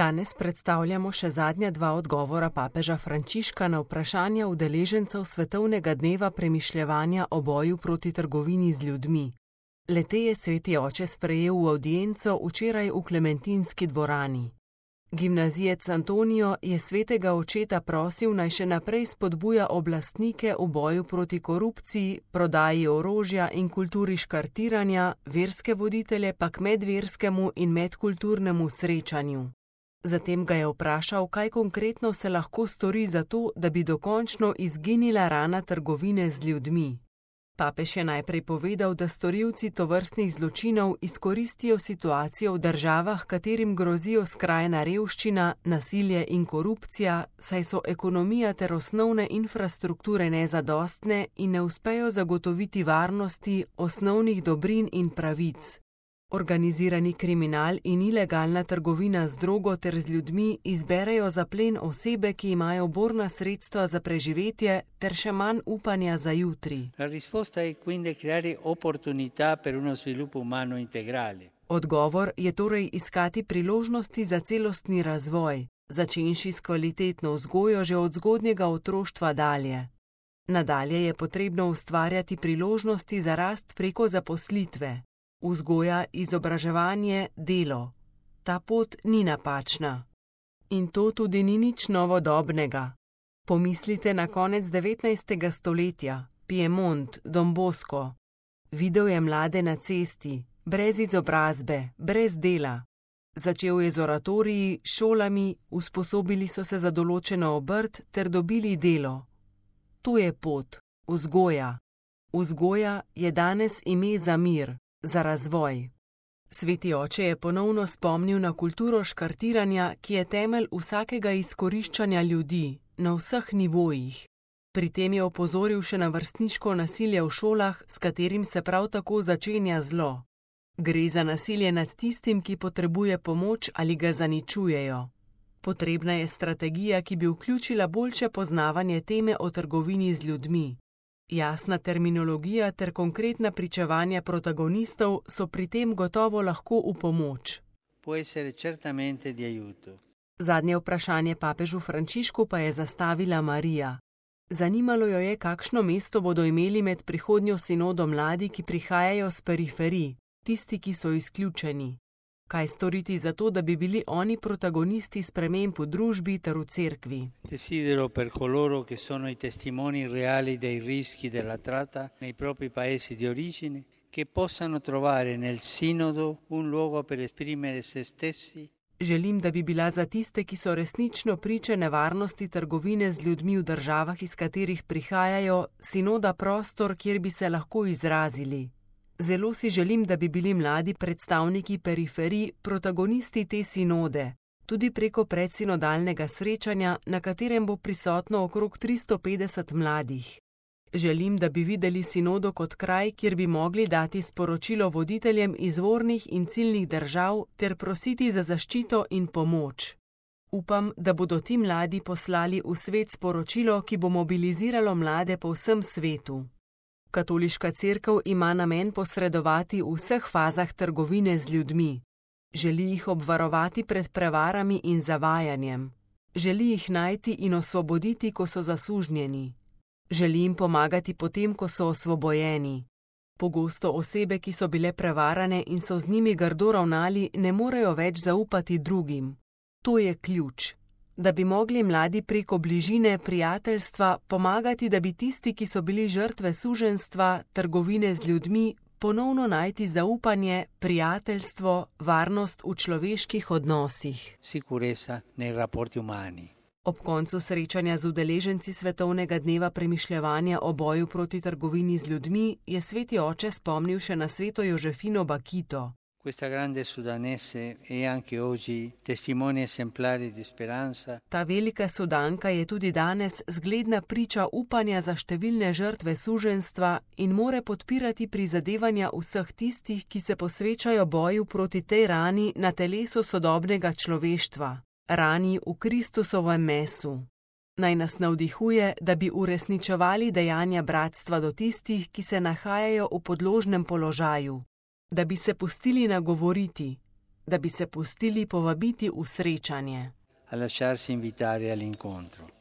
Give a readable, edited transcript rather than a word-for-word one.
Danes predstavljamo še zadnja dva odgovora papeža Frančiška na vprašanja udeležencev Svetovnega dneva premišljevanja o boju proti trgovini z ljudmi. Le-te je sveti oče sprejel v avdienco včeraj v Klementinski dvorani. Gimnazijec Antonijo je svetega očeta prosil, naj še naprej spodbuja oblastnike v boju proti korupciji, prodaji orožja in kulturi škartiranja, verske voditelje pa k medverskemu in medkulturnemu srečanju. Zatem ga je vprašal, kaj konkretno se lahko stori za to, da bi dokončno izginila rana trgovine z ljudmi. Papež je najprej povedal, da storilci tovrstnih zločinov izkoristijo situacijo v državah, katerim grozijo skrajna revščina, nasilje in korupcija, saj so ekonomija ter osnovne infrastrukture nezadostne in ne uspejo zagotoviti varnosti, osnovnih dobrin in pravic. Organizirani kriminal in ilegalna trgovina z drogo ter z ljudmi izberejo za plen osebe, ki imajo borna sredstva za preživetje ter še manj upanja za jutri. Odgovor je torej iskati priložnosti za celostni razvoj, začenši s kvalitetno vzgojo že od zgodnjega otroštva dalje. Nadalje je potrebno ustvarjati priložnosti za rast preko zaposlitve. Vzgoja, izobraževanje, delo. Ta pot ni napačna. In to tudi ni nič novodobnega. Pomislite na konec 19. stoletja, Piemont, Don Bosco. Videl je mlade na cesti, brez izobrazbe, brez dela. Začel je z oratoriji, šolami, usposobili so se za določeno obrt ter dobili delo. To je pot, vzgoja. Vzgoja je danes ime za mir. Za razvoj. Sveti oče je ponovno spomnil na kulturo škartiranja, ki je temelj vsakega izkoriščanja ljudi, na vseh nivojih. Pri tem je opozoril še na vrstniško nasilje v šolah, s katerim se prav tako začenja zlo. Gre za nasilje nad tistim, ki potrebuje pomoč ali ga zaničujejo. Potrebna je strategija, ki bi vključila boljše poznavanje teme o trgovini z ljudmi. Jasna terminologija ter konkretna pričevanja protagonistov so pri tem gotovo lahko v pomoč. Zadnje vprašanje papežu Frančišku pa je zastavila Marija. Zanimalo jo je, kakšno mesto bodo imeli med prihodnjo sinodo mladi, ki prihajajo s periferij, tisti, ki so izključeni. Kaj storiti za to, da bi bili oni protagonisti sprememb v družbi ter v cerkvi? Desidero per coloro che sono i testimoni reali dei rischi della tratta nei propri paesi di origine, che possano trovare nel sinodo un luogo per esprimere se stessi. Želim, da bi bila za tiste, ki so resnično priče nevarnosti trgovine z ljudmi v državah, iz katerih prihajajo, sinoda prostor, kjer bi se lahko izrazili. Zelo si želim, da bi bili mladi predstavniki periferij protagonisti te sinode, tudi preko predsinodalnega srečanja, na katerem bo prisotno okrog 350 mladih. Želim, da bi videli sinodo kot kraj, kjer bi mogli dati sporočilo voditeljem izvornih in ciljnih držav ter prositi za zaščito in pomoč. Upam, da bodo ti mladi poslali v svet sporočilo, ki bo mobiliziralo mlade po vsem svetu. Katoliška cerkev ima namen posredovati v vseh fazah trgovine z ljudmi. Želi jih obvarovati pred prevarami in zavajanjem. Želi jih najti in osvoboditi, ko so zasužnjeni. Želi jim pomagati potem, ko so osvobojeni. Pogosto osebe, ki so bile prevarane in so z njimi grdo ravnali, ne morejo več zaupati drugim. To je ključ. Da bi mogli mladi preko bližine, prijateljstva pomagati, da bi tisti, ki so bili žrtve suženjstva, trgovine z ljudmi, ponovno najti zaupanje, prijateljstvo, varnost v človeških odnosih. Sicurezza nei rapporti umani. Ob koncu srečanja z udeleženci Svetovnega dneva premišljevanja o boju proti trgovini z ljudmi je sveti oče spomnil še na sveto Jožefino Bakito. Questa grande sudanese è anche oggi testimone esemplare di speranza. Ta velika Sudanka je tudi danes zgledna priča upanja za številne žrtve suženjstva in more podpirati prizadevanja vseh tistih, ki se posvečajo boju proti tej rani na telesu sodobnega človeštva, rani v Kristusovem mesu. Naj nas navdihuje, da bi uresničevali dejanja bratstva do tistih, ki se nahajajo v podložnem položaju. Da bi se pustili nagovoriti, da bi se pustili povabiti v srečanje. a lasciarsi invitare all'incontro.